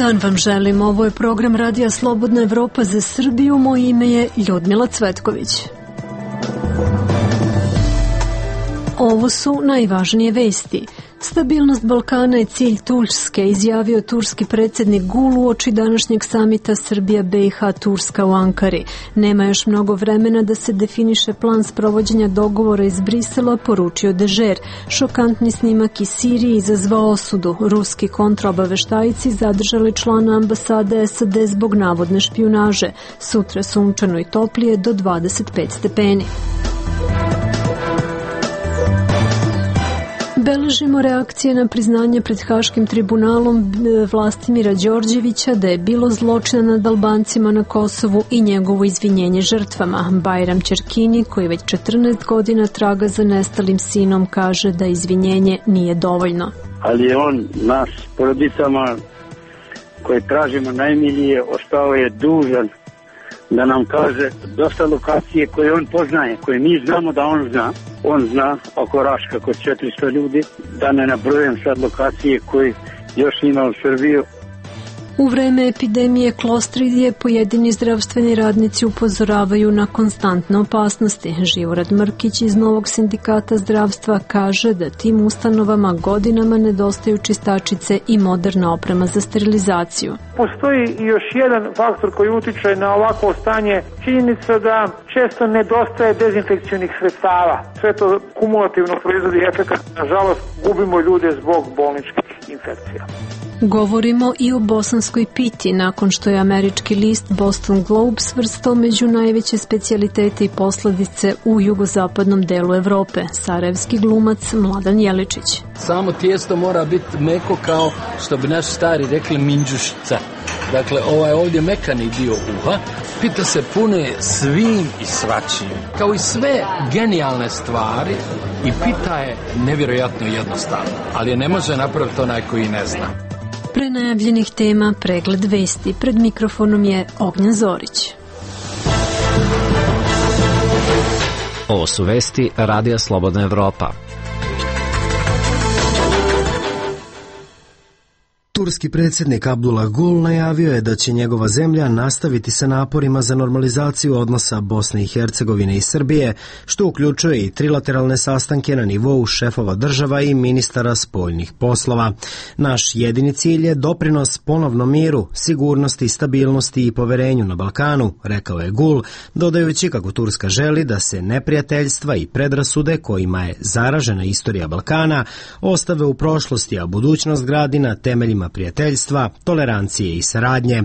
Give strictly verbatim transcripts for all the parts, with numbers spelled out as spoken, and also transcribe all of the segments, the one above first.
dan vam želim. Ovo je program Radija Slobodna Evropa za Srbiju. Moje ime je Ljudmila Cvetković. Ovo su najvažnije vesti. Stabilnost Balkana je cilj Turske, izjavio turski predsjednik Gul uoči današnjeg samita Srbija-B i H-Turska u Ankari. Nema još mnogo vremena da se definiše plan sprovođenja dogovora iz Brisela, poručio Dežer. Šokantni snimak iz Sirije izazvao osudu. Ruski kontraobaveštajci zadržali člana ambasade S A D zbog navodne špijunaže. Sutra sunčano i toplije do dvadeset pet stepeni. Beležimo reakcije na priznanje pred Haškim tribunalom Vlastimira Đorđevića da je bilo zločina nad Albancima na Kosovu i njegovo izvinjenje žrtvama. Bajram Ćerkini, koji već četrnaest godina traga za nestalim sinom, kaže da izvinjenje nije dovoljno. Ali je on nas porodicama koje tražimo najmilije ostao je dužan da nam kaže dosta lokacije koje on poznaje, koje mi znamo da on zna. On zna oko Raška kod četiristo ljudi, da ne nabrojem sad lokacije koje još ima u Srbiju. U vreme epidemije klostridije pojedini zdravstveni radnici upozoravaju na konstantne opasnosti. Živorad Mrkić iz Novog sindikata zdravstva kaže da tim ustanovama godinama nedostaju čistačice i moderna oprema za sterilizaciju. Postoji još jedan faktor koji utiče na ovako stanje, činjenica da često nedostaje dezinfekcionih sredstava. Sve to kumulativno proizvodi efekat. Nažalost, gubimo ljude zbog bolničkih infekcija. Govorimo i o bosanskoj piti, nakon što je američki list Boston Globe svrstao među najveće specijalitete i posledice u jugozapadnom delu Evrope. Sarajevski glumac Mladen Jeličić. Samo tijesto mora biti meko kao što bi naši stari rekli minđušica. Dakle, ovaj ovdje mekani dio uha, pita se pune svim i svačim. Kao i sve genijalne stvari, i pita je nevjerojatno jednostavno, ali je ne može napraviti onaj koji ne zna. Pre najavljenih tema pregled vesti. Pred mikrofonom je Ognjen Zorić. Ovo su vesti Radija Slobodna Evropa. Turski predsjednik Abdullah Gul najavio je da će njegova zemlja nastaviti sa naporima za normalizaciju odnosa Bosne i Hercegovine i Srbije, što uključuje i trilateralne sastanke na nivou šefova država i ministara spoljnih poslova. Naš jedini cilj je doprinos ponovnom miru, sigurnosti, stabilnosti i poverenju na Balkanu, rekao je Gul, dodajući kako Turska želi da se neprijateljstva i predrasude kojima je zaražena istorija Balkana ostave u prošlosti, a budućnost gradi na temeljima prijateljstva, tolerancije i saradnje.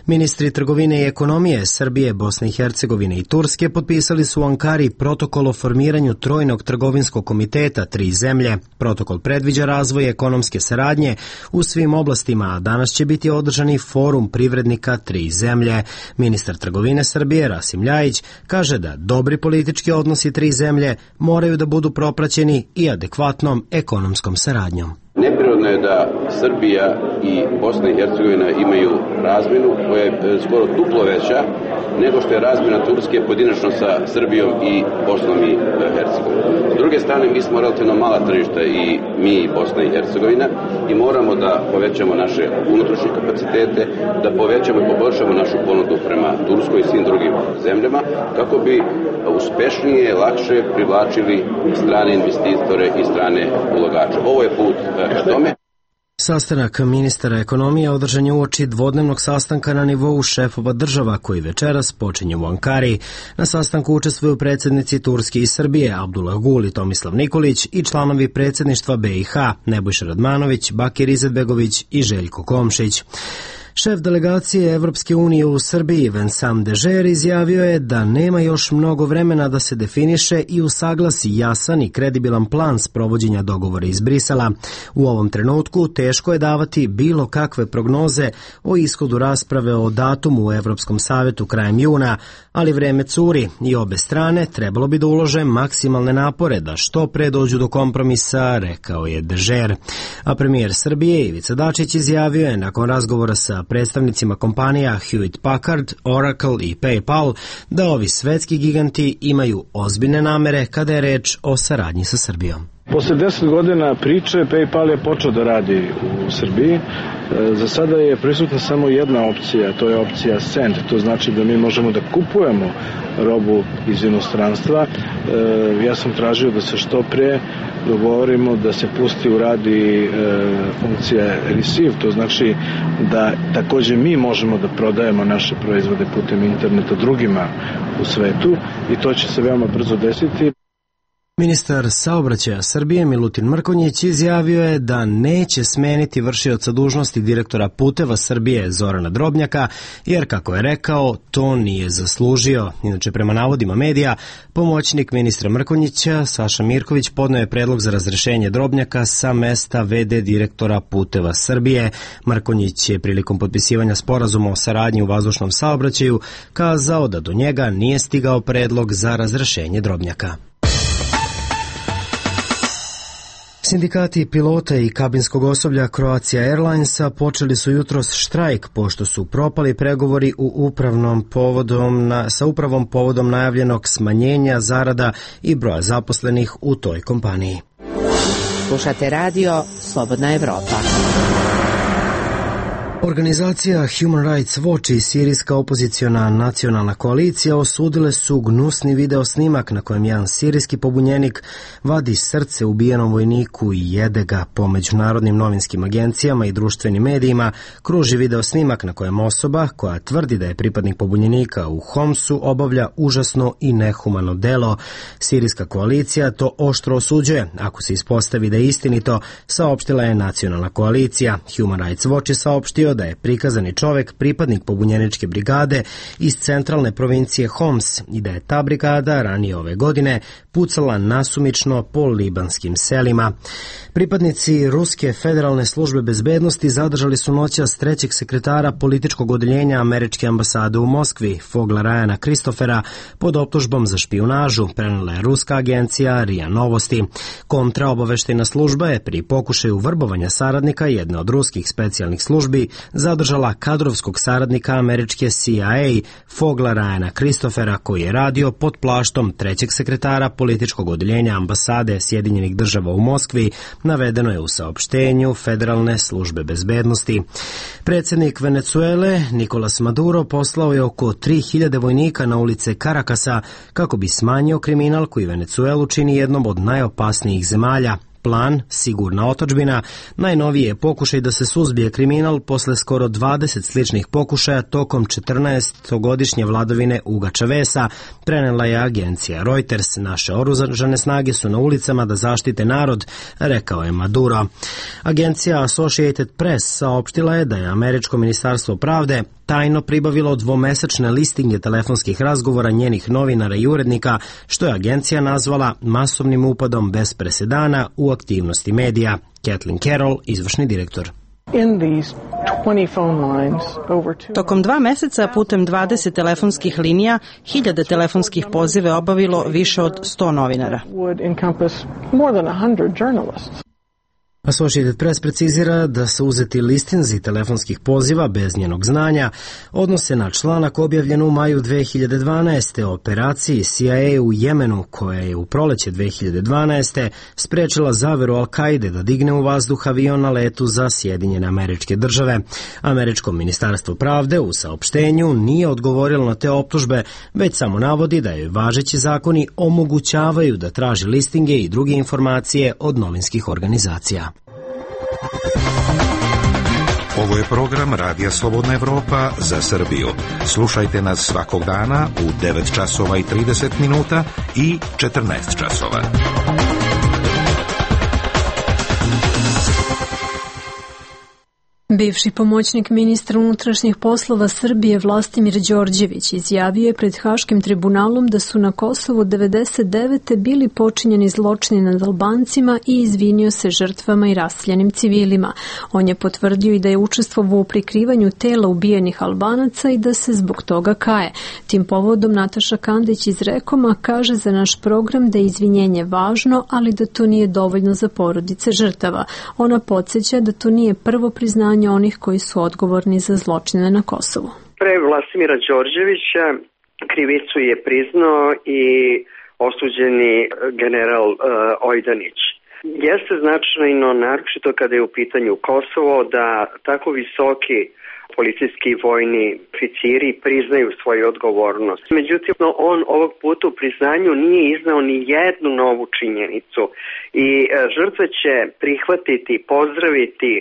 Ministri trgovine i ekonomije Srbije, Bosne i Hercegovine i Turske potpisali su u Ankari protokol o formiranju trojnog trgovinskog komiteta tri zemlje. Protokol predviđa razvoj ekonomske saradnje u svim oblastima, a danas će biti održani forum privrednika tri zemlje. Ministar trgovine Srbije, Rasim Ljajić, kaže da dobri politički odnosi tri zemlje moraju da budu propraćeni i adekvatnom ekonomskom saradnjom. Neprirodno je da Srbija i Bosna i Hercegovina imaju razmjenu koja je skoro duplo veća nego što je razmjena Turske pojedinačno sa Srbijom i Bosnom i Hercegovinom. S druge strane, mi smo relativno mala tržišta i mi i Bosna i Hercegovina i moramo da povećamo naše unutrašnje kapacitete, da povećamo i poboljšamo našu ponudu prema Turskoj i svim drugim zemljama kako bi uspešnije, lakše privlačili strane investitore i strane ulagače. Ovo je put ka tome. Sastanak ministara ekonomije održan je uoči dvodnevnog sastanka na nivou šefova država koji večeras počinje u Ankari. Na sastanku učestvuju predsjednici Turske i Srbije Abdullah Gul i Tomislav Nikolić i članovi predsjedništva B i H Nebojša Radmanović, Bakir Izetbegović i Željko Komšić. Šef delegacije Evropske unije u Srbiji, Vincent Dežer, izjavio je da nema još mnogo vremena da se definiše i usaglasi jasan i kredibilan plan sprovođenja dogovora iz Brisela. U ovom trenutku teško je davati bilo kakve prognoze o ishodu rasprave o datumu u Evropskom savetu krajem juna, ali vreme curi i obe strane trebalo bi da ulože maksimalne napore da što pre dođu do kompromisa, rekao je Dežer. A premijer Srbije Ivica Dačić izjavio je nakon razgovora sa predstavnicima kompanija Hewitt Packard, Oracle i PayPal da ovi svetski giganti imaju ozbiljne namere kada je reč o saradnji sa Srbijom. Posle deset godina priče, PayPal je počeo da radi u Srbiji. Za sada je prisutna samo jedna opcija, to je opcija Send. To znači da mi možemo da kupujemo robu iz inostranstva. Ja sam tražio da se što pre dogovorimo da se pusti u radi funkcija Receive. To znači da takođe mi možemo da prodajemo naše proizvode putem interneta drugima u svetu i to će se veoma brzo desiti. Ministar saobraćaja Srbije Milutin Mrkonjić izjavio je da neće smeniti vršioca dužnosti direktora Puteva Srbije Zorana Drobnjaka, jer kako je rekao, to nije zaslužio. Inače, prema navodima medija, pomoćnik ministra Mrkonjića Saša Mirković podneo je predlog za razrešenje Drobnjaka sa mesta ve de direktora Puteva Srbije. Mrkonjić je prilikom potpisivanja sporazuma o saradnji u vazdušnom saobraćaju kazao da do njega nije stigao predlog za razrešenje Drobnjaka. Sindikati pilota i kabinskog osoblja Croatia Airlinesa počeli su jutros štrajk pošto su propali pregovori u upravnom povodom na, sa upravom povodom najavljenog smanjenja zarada i broja zaposlenih u toj kompaniji. Slušate radio Slobodna Evropa. Organizacija Human Rights Watch i sirijska opoziciona nacionalna koalicija osudile su gnusni video snimak na kojem jedan sirijski pobunjenik vadi srce ubijenom vojniku i jede ga. Po međunarodnim novinskim agencijama i društvenim medijima kruži video snimak na kojem osoba koja tvrdi da je pripadnik pobunjenika u Homsu obavlja užasno i nehumano delo. Sirijska koalicija to oštro osuđuje. Ako se ispostavi da je istinito, saopštila je nacionalna koalicija. Human Rights Watch je saopštio da je prikazani čovek pripadnik pobunjeničke brigade iz centralne provincije Homs i da je ta brigada ranije ove godine pucala nasumično po libanskim selima. Pripadnici Ruske federalne službe bezbednosti zadržali su noćas trećeg sekretara političkog odeljenja američke ambasade u Moskvi, Fogla Ryana Christophera, pod optužbom za špijunažu, prenela je ruska agencija R I A Novosti. Kontraobaveštajna služba je pri pokušaju vrbovanja saradnika jedne od ruskih specijalnih službi zadržala kadrovskog saradnika američke C I A Fogla Ryana Christophera, koji je radio pod plaštom trećeg sekretara političkog odeljenja ambasade Sjedinjenih država u Moskvi, navedeno je u saopštenju Federalne službe bezbednosti. Predsjednik Venecuele Nicolas Maduro poslao je oko tri hiljade vojnika na ulice Karakasa kako bi smanjio kriminal koji Venecuelu čini jednom od najopasnijih zemalja. Plan, sigurna otadžbina, najnoviji je pokušaj da se suzbije kriminal posle skoro dvadeset sličnih pokušaja tokom četrnaestogodišnje vladavine Huga Chaveza, prenela je agencija Reuters. Naše oružane snage su na ulicama da zaštite narod, rekao je Maduro. Agencija Associated Press saopštila je da je američko ministarstvo pravde tajno pribavilo dvomesečne listinge telefonskih razgovora njenih novinara i urednika, što je agencija nazvala masovnim upadom bez presedana u aktivnosti medija. Kathleen Carroll, izvršni direktor. Tokom dva meseca putem dvadeset telefonskih linija, hiljade telefonskih pozive obavilo više od sto novinara. Associated Press precizira da su uzeti listinzi telefonskih poziva bez njenog znanja odnose na članak objavljen u maju dve hiljade dvanaeste. o operaciji C I A u Jemenu, koja je u proleće dve hiljade dvanaeste. sprečila zaveru Al-Kaide da digne u vazduh avion na letu za Sjedinjene Američke Države. Američko ministarstvo pravde u saopštenju nije odgovorilo na te optužbe, već samo navodi da joj važeći zakoni omogućavaju da traži listinge i druge informacije od novinskih organizacija. Ovo je program Radija Slobodna Evropa za Srbiju. Slušajte nas svakog dana u devet časova i trideset minuta i četrnaest časova. Bivši pomoćnik ministra unutrašnjih poslova Srbije Vlastimir Đorđević izjavio je pred Haškim tribunalom da su na Kosovu devedeset devete bili počinjeni zločini nad Albancima i izvinio se žrtvama i raseljenim civilima. On je potvrdio i da je učestvovao u prikrivanju tela ubijenih Albanaca i da se zbog toga kaje. Tim povodom Nataša Kandić iz Rekoma kaže za naš program da je izvinjenje važno, ali da to nije dovoljno za porodice žrtava. Ona podsjeća da to nije prvo priznanje onih koji su odgovorni za zločine na Kosovu. Pre Vlastimira Đorđevića krivicu je priznao i osuđeni general uh, Ojdanić. Jeste značajno, naročito kada je u pitanju Kosovo, da tako visoki policijski i vojni oficiri priznaju svoju odgovornost. Međutim, on ovog puta u priznanju nije iznao ni jednu novu činjenicu i žrtve će prihvatiti, pozdraviti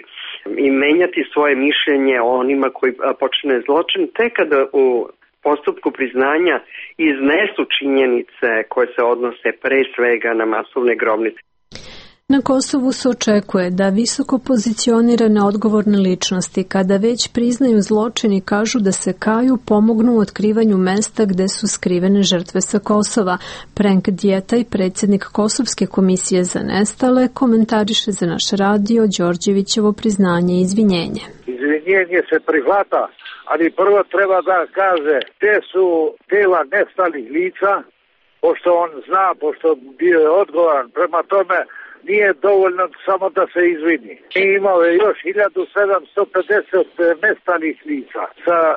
i menjati svoje mišljenje o onima koji počine zločin tek kada u postupku priznanja iznesu činjenice koje se odnose pre svega na masovne grobnice. Na Kosovu se očekuje da visoko pozicionirane odgovorne ličnosti, kada već priznaju zločin i kažu da se kaju, pomognu u otkrivanju mesta gde su skrivene žrtve sa Kosova. Prenk Djetaj, predsjednik Kosovske komisije za nestale, komentariše za naš radio Đorđevićevo priznanje i izvinjenje. Izvinjenje se prihvata, ali prvo treba da kaže te su tela nestalih lica, pošto on zna, pošto bio je odgovoran, prema tome nije dovoljno samo da se izvini. Mi imamo još hiljadu sedamsto pedeset nestalih lica sa e,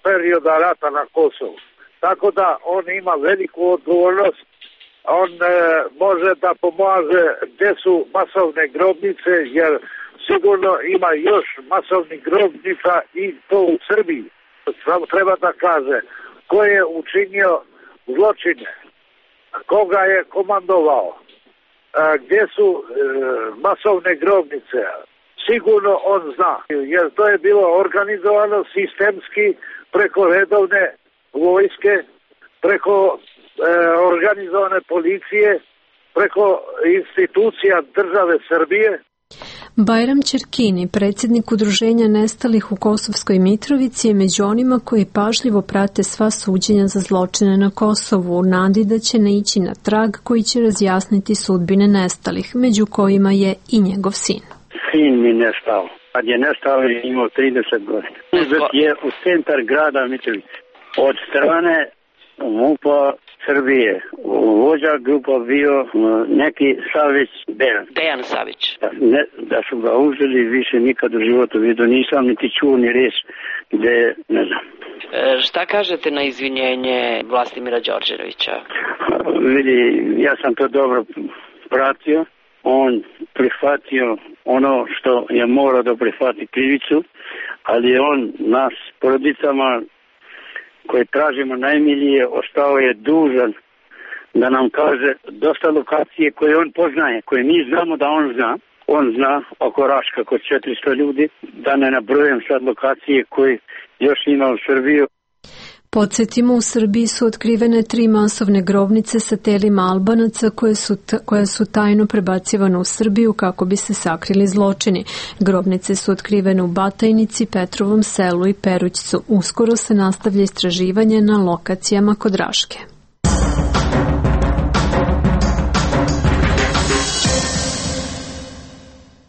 perioda rata na Kosovu. Tako da on ima veliku odgovornost. On e, može da pomaže gde su masovne grobnice, jer sigurno ima još masovnih grobnica i to u Srbiji. Samo treba da kaže ko je učinio zločine, koga je komandovao, gdje su e, masovne grobnice. Sigurno on zna, jer to je bilo organizovano sistemski preko redovne vojske, preko e, organizovane policije, preko institucija države Srbije. Bajram Čerkini, predsjednik Udruženja nestalih u Kosovskoj Mitrovici, je među onima koji pažljivo prate sva suđenja za zločine na Kosovu, u nadi da će naići na trag koji će razjasniti sudbine nestalih, među kojima je i njegov sin. Sin mi nestao. Kad je nestao je imao trideset godina. Uzet je u centar grada Mitrovice. Od strane MUP-a Srbije. Vođa grupa bio neki Savić Dejan. Dejan Savić. Da, ne, da su ga uzeli, više nikad u životu vidio. Nisam niti čuo ni reč gde, ne znam. E, šta kažete na izvinjenje Vlastimira Đorđevića? Vidi, ja sam to dobro pratio. On prihvatio ono što je morao da prihvati krivicu, ali on nas, porodicama koje tražimo najmilije, ostao je dužan da nam kaže dosta lokacije koje on poznaje, koje mi znamo da on zna. On zna oko Raška kod četiristo ljudi, da ne nabrojem sad lokacije koje još ima u Srbiji. Podsjetimo, u Srbiji su otkrivene tri masovne grobnice sa telima Albanaca koje su, t- koje su tajno prebacivane u Srbiju kako bi se sakrili zločini. Grobnice su otkrivene u Batajnici, Petrovom selu i Perućcu. Uskoro se nastavlja istraživanje na lokacijama kod Raške.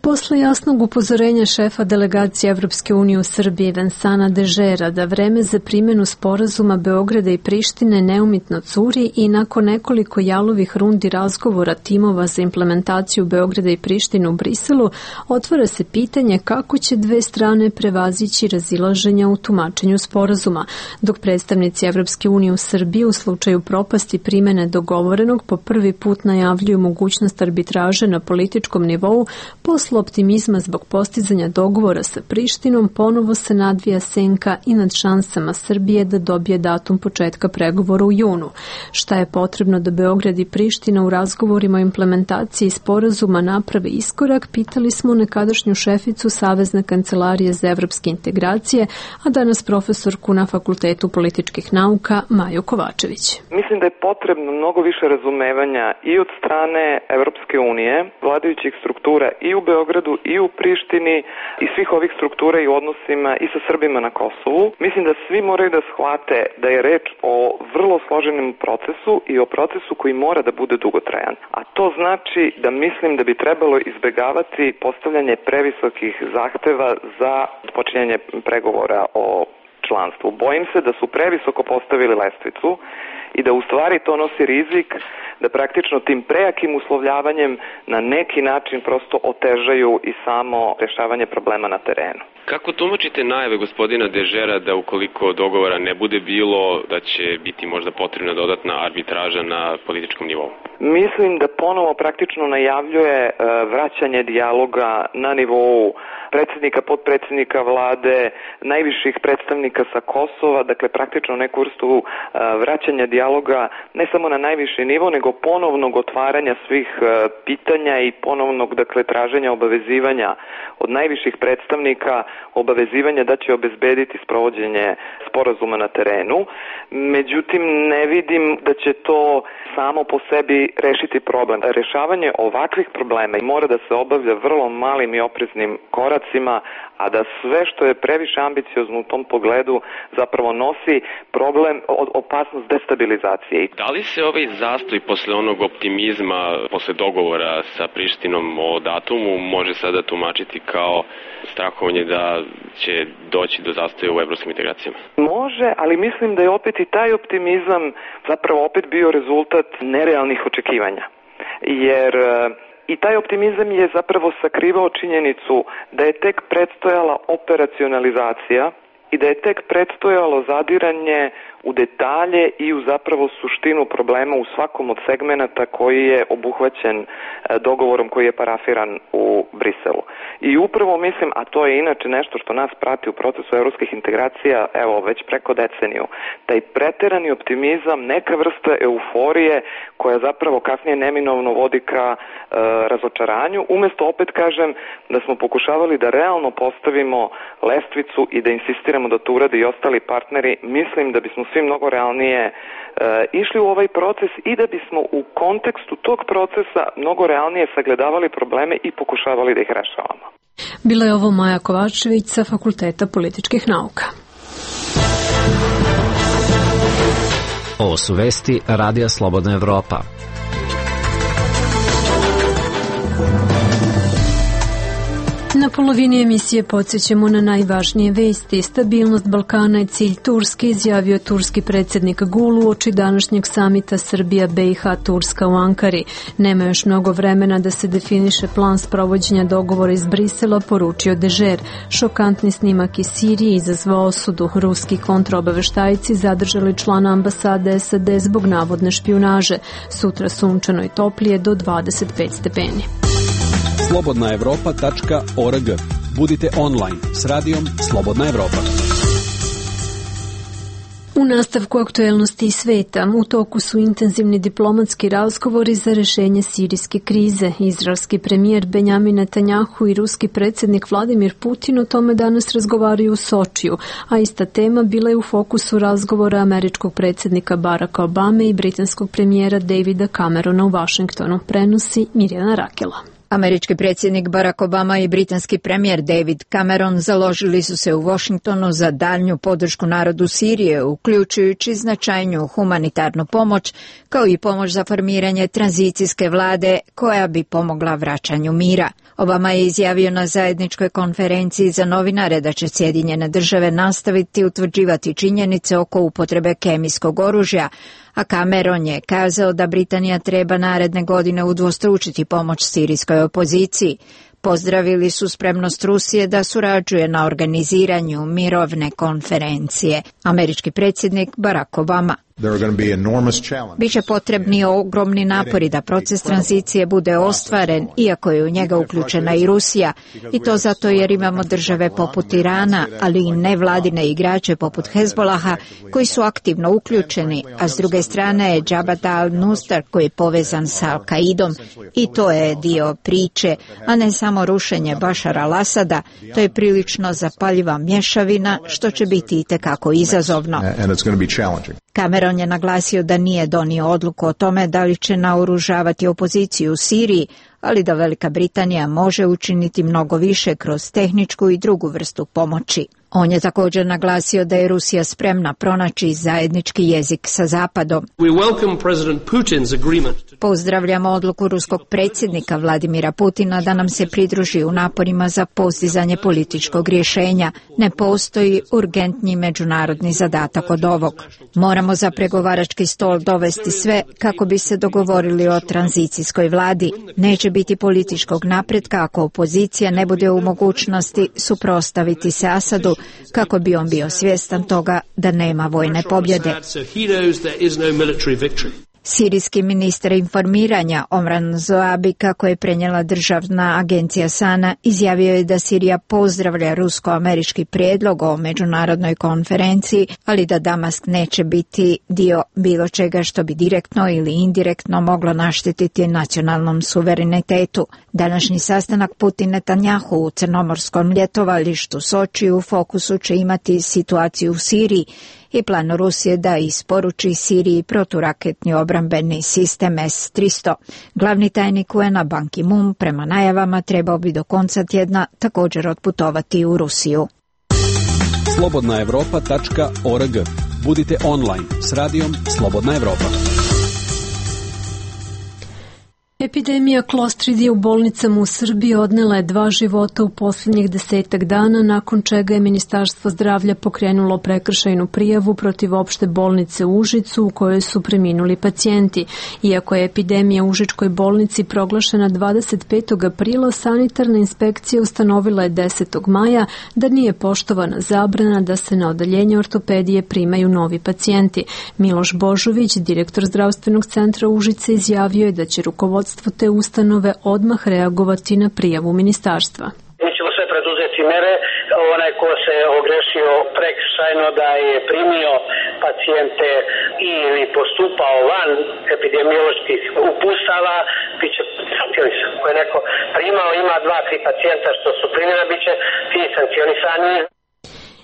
Posle jasnog upozorenja šefa delegacije Evropske unije u Srbiji Vensana Dežera da vreme za primjenu sporazuma Beograda i Prištine neumitno curi i nakon nekoliko jalovih rundi razgovora timova za implementaciju Beograda i Prištine u Briselu, otvara se pitanje kako će dve strane prevazići razilaženja u tumačenju sporazuma, dok predstavnici Evropske unije u Srbiji u slučaju propasti primjene dogovorenog po prvi put najavljuju mogućnost arbitraže na političkom nivou. Posle optimizma zbog postizanja dogovora sa Prištinom ponovo se nadvija senka i nad šansama Srbije da dobije datum početka pregovora u junu. Šta je potrebno da Beograd i Priština u razgovorima o implementaciji sporazuma naprave iskorak, pitali smo nekadašnju šeficu Savezne kancelarije za evropske integracije, a danas profesorku na Fakultetu političkih nauka Maju Kovačević. Mislim da je potrebno mnogo više razumevanja i od strane Evropske unije, vladajućih struktura i u Beogradu i u Prištini i svih ovih struktura i odnosima i sa Srbima na Kosovu. Mislim da svi moraju da shvate da je reč o vrlo složenom procesu i o procesu koji mora da bude dugotrajan. A to znači da mislim da bi trebalo izbegavati postavljanje previsokih zahteva za počinjanje pregovora o članstvu. Bojim se da su previsoko postavili lestvicu i da u stvari to nosi rizik da praktično tim prejakim uslovljavanjem na neki način prosto otežaju i samo rešavanje problema na terenu. Kako tumačite najave gospodina Dežera da ukoliko dogovora ne bude bilo, da će biti možda potrebna dodatna arbitraža na političkom nivou? Mislim da ponovo praktično najavljuje vraćanje dijaloga na nivou predsjednika, potpredsjednika vlade, najviših predstavnika sa Kosova, dakle praktično neku vrstu vraćanja dijaloga ne samo na najviši nivo, nego ponovnog otvaranja svih pitanja i ponovnog, dakle, traženja obavezivanja od najviših predstavnika, obavezivanja da će obezbediti sprovođenje sporazuma na terenu. Međutim, ne vidim da će to samo po sebi rešiti problem. Rešavanje ovakvih problema mora da se obavlja vrlo malim i opreznim koracima, a da sve što je previše ambiciozno u tom pogledu zapravo nosi problem, opasnost destabilizacije. Da li se ovaj zastoj posle onog optimizma, posle dogovora sa Prištinom o datumu, može sada tumačiti kao strahovanje da će doći do zastoja u evropskim integracijama? Može, ali mislim da je opet i taj optimizam zapravo opet bio rezultat nerealnih očekivanja. Jer i taj optimizam je zapravo sakrivao činjenicu da je tek predstojala operacionalizacija i da je tek predstojalo zadiranje u detalje i u zapravo suštinu problema u svakom od segmenata koji je obuhvaćen dogovorom koji je parafiran u Briselu. I upravo mislim, a to je inače nešto što nas prati u procesu evropskih integracija, evo, već preko deceniju, taj preterani optimizam, neka vrsta euforije koja zapravo kasnije neminovno vodi ka e, razočaranju, umesto, opet kažem, da smo pokušavali da realno postavimo lestvicu i da insistiramo da to urade i ostali partneri, mislim da bismo svi mnogo realnije e, išli u ovaj proces i da bismo u kontekstu tog procesa mnogo realnije sagledavali probleme i pokušavali da ih rešavamo. Bila je ovo Maja Kovačević sa Fakulteta političkih nauka. Ovo su vesti Radija Slobodna Evropa. Na polovini emisije podsjećamo na najvažnije vesti. Stabilnost Balkana je cilj Turske, izjavio turski predsjednik Gul uoči današnjeg samita Srbija, B i H, Turska u Ankari. Nema još mnogo vremena da se definiše plan sprovođenja dogovora iz Brisela, poručio Dežer. Šokantni snimak iz Sirije izazvao osudu. Ruski kontraobaveštajci zadržali člana ambasade S A D zbog navodne špijunaže. Sutra sunčano i toplije do dvadeset pet stepeni. slobodna evropa tačka org. Budite online s radijom Slobodna Evropa. U nastavku aktuelnosti i sveta, u toku su intenzivni diplomatski razgovori za rešenje sirijske krize. Izraelski premijer Benjamin Netanjahu i ruski predsjednik Vladimir Putin o tome danas razgovaraju u Sočiju, a ista tema bila je u fokusu razgovora američkog predsjednika Baracka Obame i britanskog premijera Davida Camerona u Vašingtonu, prenosi Mirjana Rakela. Američki predsjednik Barack Obama i britanski premijer David Cameron založili su se u Washingtonu za daljnju podršku narodu Sirije, uključujući značajniju humanitarnu pomoć, kao i pomoć za formiranje tranzicijske vlade koja bi pomogla vraćanju mira. Obama je izjavio na zajedničkoj konferenciji za novinare da će Sjedinjene države nastaviti utvrđivati činjenice oko upotrebe kemijskog oružja, a Cameron je kazao da Britanija treba naredne godine udvostručiti pomoć sirijskoj opoziciji. Pozdravili su spremnost Rusije da surađuje na organiziranju mirovne konferencije. Američki predsjednik Barack Obama. Biće potrebni ogromni napori da proces tranzicije bude ostvaren, iako je u njega uključena i Rusija, i to zato jer imamo države poput Irana, ali i nevladine igrače poput Hezbolaha koji su aktivno uključeni, a s druge strane je Jabhat al-Nusra koji je povezan sa Al-Kaidom, i to je dio priče, a ne samo rušenje Bašara al-Asada. To je prilično zapaljiva mješavina, što će biti itekako izazovno. Cameron je naglasio da nije donio odluku o tome da li će naoružavati opoziciju u Siriji, ali da Velika Britanija može učiniti mnogo više kroz tehničku i drugu vrstu pomoći. On je također naglasio da je Rusija spremna pronaći zajednički jezik sa Zapadom. Pozdravljamo odluku ruskog predsjednika Vladimira Putina da nam se pridruži u naporima za postizanje političkog rješenja. Ne postoji urgentni međunarodni zadatak od ovog. Moramo za pregovarački stol dovesti sve kako bi se dogovorili o tranzicijskoj vladi. Neće biti političkog napretka ako opozicija ne bude u mogućnosti suprotstaviti se Asadu, kako bi on bio svjestan toga da nema vojne pobjede. Sirijski ministar informiranja Omran Zoabi, kako je prenijela državna agencija Sana, izjavio je da Sirija pozdravlja rusko-američki prijedlog o međunarodnoj konferenciji, ali da Damask neće biti dio bilo čega što bi direktno ili indirektno moglo naštetiti nacionalnom suverenitetu. Današnji sastanak Putin-Netanjahu u crnomorskom ljetovalištu Soči u fokusu će imati situaciju u Siriji i plan Rusije da isporuči Siriji proturaketni obrambeni sistem S tristo. Glavni tajnik U N-a Ban Ki-moon prema najavama trebao bi do konca tjedna također otputovati u Rusiju. slobodna evropa tačka org. Budite online s radijom Slobodna Evropa. Epidemija klostridije u bolnicama u Srbiji odnela je dva života u posljednjih desetak dana, nakon čega je Ministarstvo zdravlja pokrenulo prekršajnu prijavu protiv opšte bolnice u Užicu u kojoj su preminuli pacijenti. Iako je epidemija u Užičkoj bolnici proglašena dvadeset petog aprila, sanitarna inspekcija ustanovila je desetog maja da nije poštovana zabrana da se na odeljenje ortopedije primaju novi pacijenti. Miloš Božović, direktor zdravstvenog centra Užice, izjavio je da će rukovodstvo te ustanove odmah reagovati na prijavu ministarstva. Mi ćemo sve preduzeti mere. Onaj ko se ogrešio prekršajno da je primio pacijente ili postupao van epidemioloških uputstava, bit će sankcionisan. Ko je neko primao, ima dva, tri pacijenta što su primjena, bit će ti sankcionisani.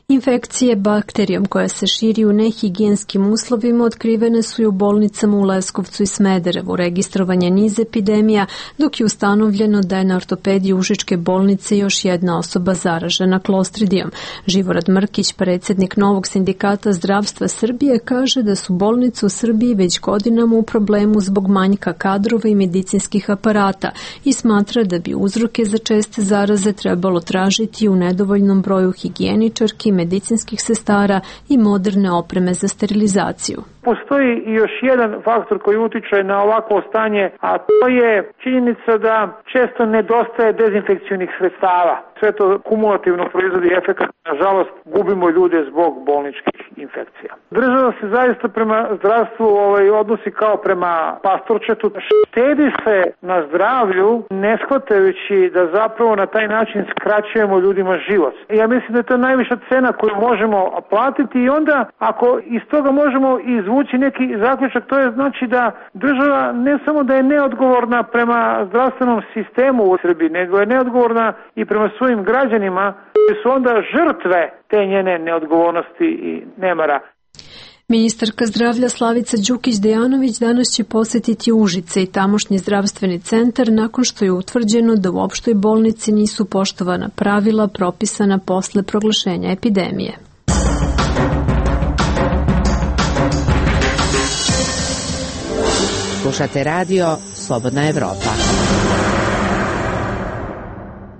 Infekcije bakterijom koja se širi u nehigijenskim uslovima otkrivene su i u bolnicama u Leskovcu i Smederevu. Registrovan je niz epidemija, dok je ustanovljeno da je na ortopediji Užičke bolnice još jedna osoba zaražena klostridijom. Živorad Mrkić, predsjednik Novog sindikata zdravstva Srbije, kaže da su bolnice u Srbiji već godinama u problemu zbog manjka kadrova i medicinskih aparata i smatra da bi uzroke za česte zaraze trebalo tražiti u nedovoljnom broju higijeničarki, medicinskih sestara i moderne opreme za sterilizaciju. Postoji još jedan faktor koji utiče na ovakvo stanje, a to je činjenica da često nedostaje dezinfekcijnih sredstava. Sve to kumulativno proizvodi efekat. Nažalost, gubimo ljude zbog bolničkih infekcija. Država se zaista prema zdravstvu ovaj, odnosi kao prema pastorčetu. Štedi se na zdravlju, ne shvatajući da zapravo na taj način skraćujemo ljudima život. Ja mislim da je to najviša cena koju možemo platiti i onda ako iz toga možemo izvući neki zaključak, to je znači da država ne samo da je neodgovorna prema zdravstvenom sistemu u Srbiji, nego je neodgovorna i prema svojim građanima koji su onda žrtve te njene neodgovornosti i nemara. Ministarka zdravlja Slavica Đukić-Dejanović danas će posjetiti Užice i tamošnji zdravstveni centar nakon što je utvrđeno da u opštoj bolnici nisu poštovana pravila propisana posle proglašenja epidemije. Slušate radio Slobodna Evropa.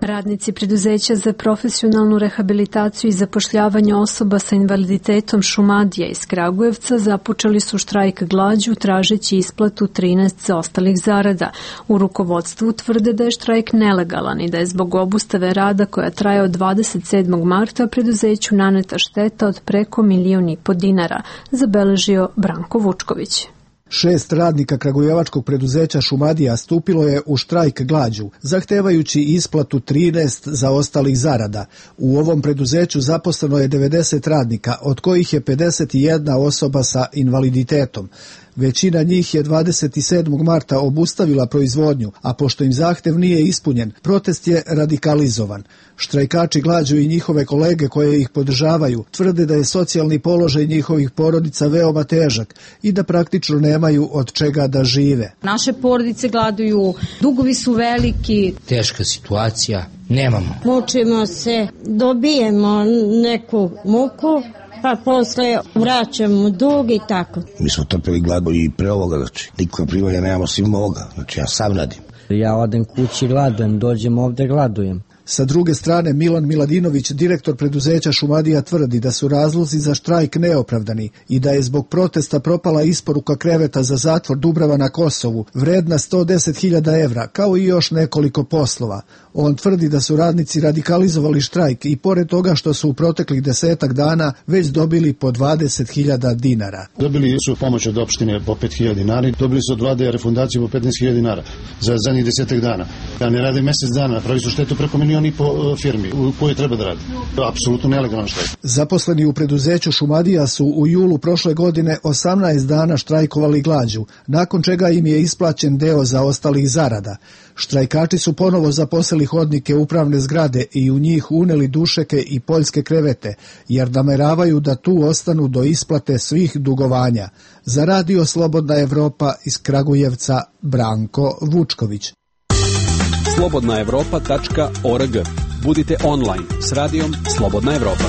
Radnici preduzeća za profesionalnu rehabilitaciju i zapošljavanje osoba sa invaliditetom Šumadija iz Kragujevca započeli su štrajk glađu tražeći isplatu trinaest zaostalih zarada. U rukovodstvu tvrde da je štrajk nelegalan i da je zbog obustave rada koja traje od dvadeset sedmog marta preduzeću naneta šteta od preko milion i po dinara, zabeležio Branko Vučković. Šest radnika kragujevačkog preduzeća Šumadija stupilo je u štrajk glađu, zahtevajući isplatu trinaest zaostalih zarada. U ovom preduzeću zaposleno je devedeset radnika, od kojih je pedeset jedna osoba sa invaliditetom. Većina njih je dvadeset sedmog marta obustavila proizvodnju, a pošto im zahtev nije ispunjen, protest je radikalizovan. Štrajkači glađu i njihove kolege koje ih podržavaju tvrde da je socijalni položaj njihovih porodica veoma težak i da praktično nemaju od čega da žive. Naše porodice gladuju, dugovi su veliki. Teška situacija, nemamo. Mučimo se, dobijemo neku muku, pa posle vraćamo dug i tako. Mi smo trpeli glad i pre ovoga, znači nikakva primanja nemamo svim ovoga, znači ja sam radim. Ja odem kući gladujem, dođem ovde gladujem. Sa druge strane, Milan Miladinović, direktor preduzeća Šumadija, tvrdi da su razlozi za štrajk neopravdani i da je zbog protesta propala isporuka kreveta za zatvor Dubrava na Kosovu, vredna sto deset hiljada evra, kao i još nekoliko poslova. On tvrdi da su radnici radikalizovali štrajk i pored toga što su u proteklih desetak dana već dobili po dvadeset hiljada dinara. Dobili su pomoć od opštine po pet hiljada dinara, dobili su od vlade refundaciju po petnaest hiljada dinara za zadnjih desetak dana. Ja ne rade mesec dana, pravi su štetu preko milion i po firmi u kojoj treba da radi. Apsolutno nelegalan štrajk. Zaposleni u preduzeću Šumadija su u julu prošle godine osamnaest dana štrajkovali glađu, nakon čega im je isplaćen deo zaostalih zarada. Štrajkači su ponovo zaposlili hodnike upravne zgrade i u njih uneli dušeke i poljske krevete, jer nameravaju da tu ostanu do isplate svih dugovanja. Za Radio Slobodna Evropa iz Kragujevca, Branko Vučković. slobodna evropa tačka org. Budite online s radijom Slobodna Evropa.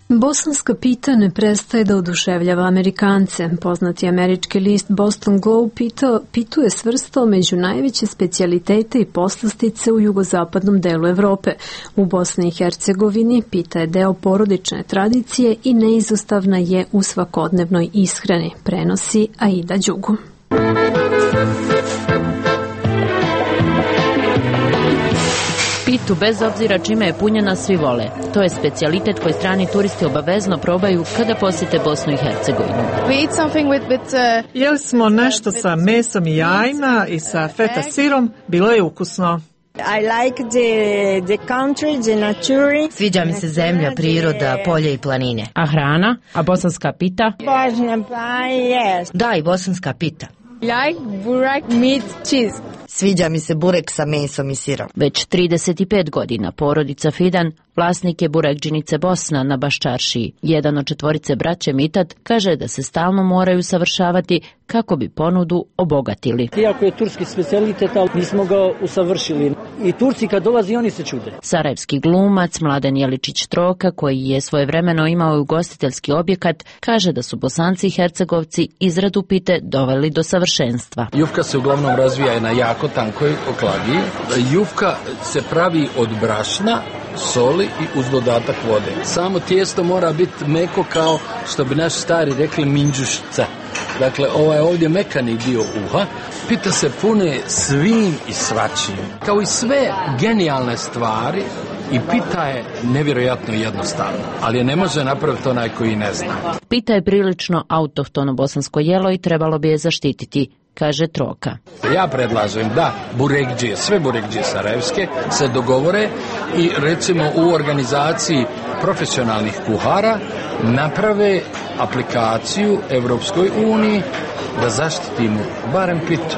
Bosanska pita ne prestaje da oduševljava Amerikance. Poznati američki list Boston Globe pitao, pituje svrstao među najveće specijalitete i poslastice u jugozapadnom delu Evrope. U Bosni i Hercegovini pita je deo porodične tradicije i neizostavna je u svakodnevnoj ishrani, prenosi Aida Đugu. Pitu, bez obzira čime je punjena, svi vole. To je specijalitet koji strani turisti obavezno probaju kada posjete Bosnu i Hercegovinu. Uh, Jeli smo nešto sa mesom i jajima i sa feta sirom, bilo je ukusno. I like the, the country, the nature. Sviđa mi se zemlja, priroda, polje i planine. A hrana? A bosanska pita? Božna pa, yes. Da, i bosanska pita. Like burek, meat, cheese. Sviđa mi se burek sa mesom i sirom. Već trideset pet godina porodica Fidan vlasnik je burekdžinice Bosna na Baščaršiji. Jedan od četvorice braće Mitat kaže da se stalno moraju savršavati kako bi ponudu obogatili. Iako je turski specijalitet, ali mi smo ga usavršili. I Turci kad dolazi, oni se čude. Sarajevski glumac Mladen Jeličić Troka, koji je svojevremeno imao ugostiteljski objekat, kaže da su Bosanci i Hercegovci izradu pite doveli do savršenstva. Jufka se uglavnom razvija na jako tankoj oklagi. Jufka se pravi od brašna, soli i uz dodatak vode. Samo tijesto mora biti meko kao što bi naši stari rekli minđušca. Dakle, ovaj ovdje mekani dio uha, pita se pune svim i svačim. Kao i sve genijalne stvari, i pita je nevjerojatno jednostavno, ali je ne može napraviti onaj koji ne zna. Pita je prilično autohtono bosansko jelo i trebalo bi je zaštititi, kaže Troka. Ja predlažem da burekdžije, sve burekdžije sarajevske se dogovore i recimo u organizaciji profesionalnih kuhara naprave aplikaciju Evropskoj uniji da zaštitimo barem pitu.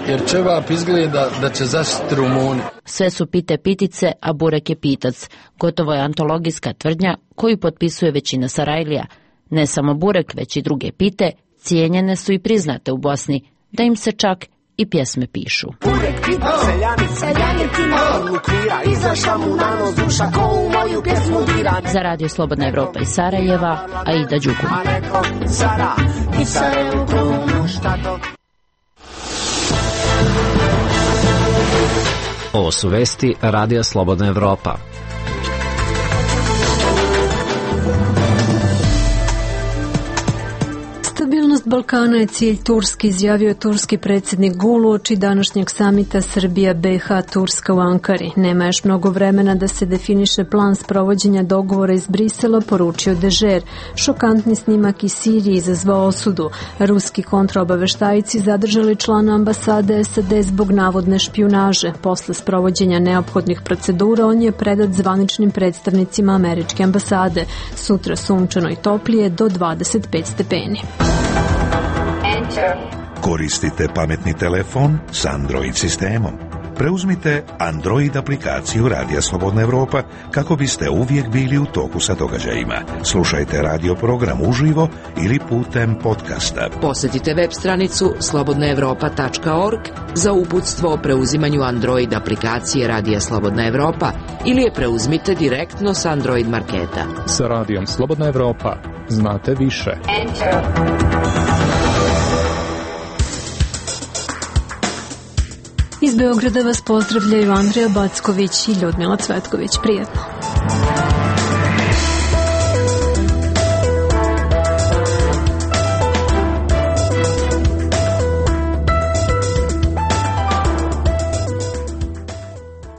Jer ćevap izgleda da će zaštiti Rumuni. Sve su pite pitice, a burek je pitac. Gotovo je antologijska tvrdnja koju potpisuje većina Sarajlija. Ne samo burek, već i druge pite, cijenjene su i priznate u Bosni, da im se čak i pjesme pišu. Burek pita seljani, seljani ti na prvu kvira, izašla mu na nos duša ko u moju pjesmu dira. Za Radio Slobodna Evropa iz Sarajeva, Aida Đugu. A neko Sara i Sarajevo krunu šta to... Ovo su vesti Radija Slobodna Evropa. Stabilnost Stabilnost Balkana je cilj Turske, izjavio turski predsjednik Gul uoči današnjeg samita Srbija-B i H-Turska u Ankari. Nema još mnogo vremena da se definiše plan sprovođenja dogovora iz Brisela, poručio Dežer. Šokantni snimak iz Sirije izazvao osudu. Ruski kontraobaveštajci zadržali člana ambasade S A D zbog navodne špijunaže. Posle sprovođenja neophodnih procedura on je predat zvaničnim predstavnicima američke ambasade. Sutra sunčano i toplije do dvadeset pet stepeni. Koristite pametni telefon s Android sistemom. Preuzmite Android aplikaciju Radija Slobodna Evropa kako biste uvijek bili u toku sa događajima. Slušajte radio program uživo ili putem podcasta. Posjetite web stranicu slobodna evropa tačka org za uputstvo o preuzimanju Android aplikacije Radija Slobodna Evropa ili je preuzmite direktno s Android marketa. Sa Radijom Slobodna Evropa znate više. Enter. Iz Beograda vas pozdravljaju Andrija Backović i Ljudmila Cvetković. Prijetno.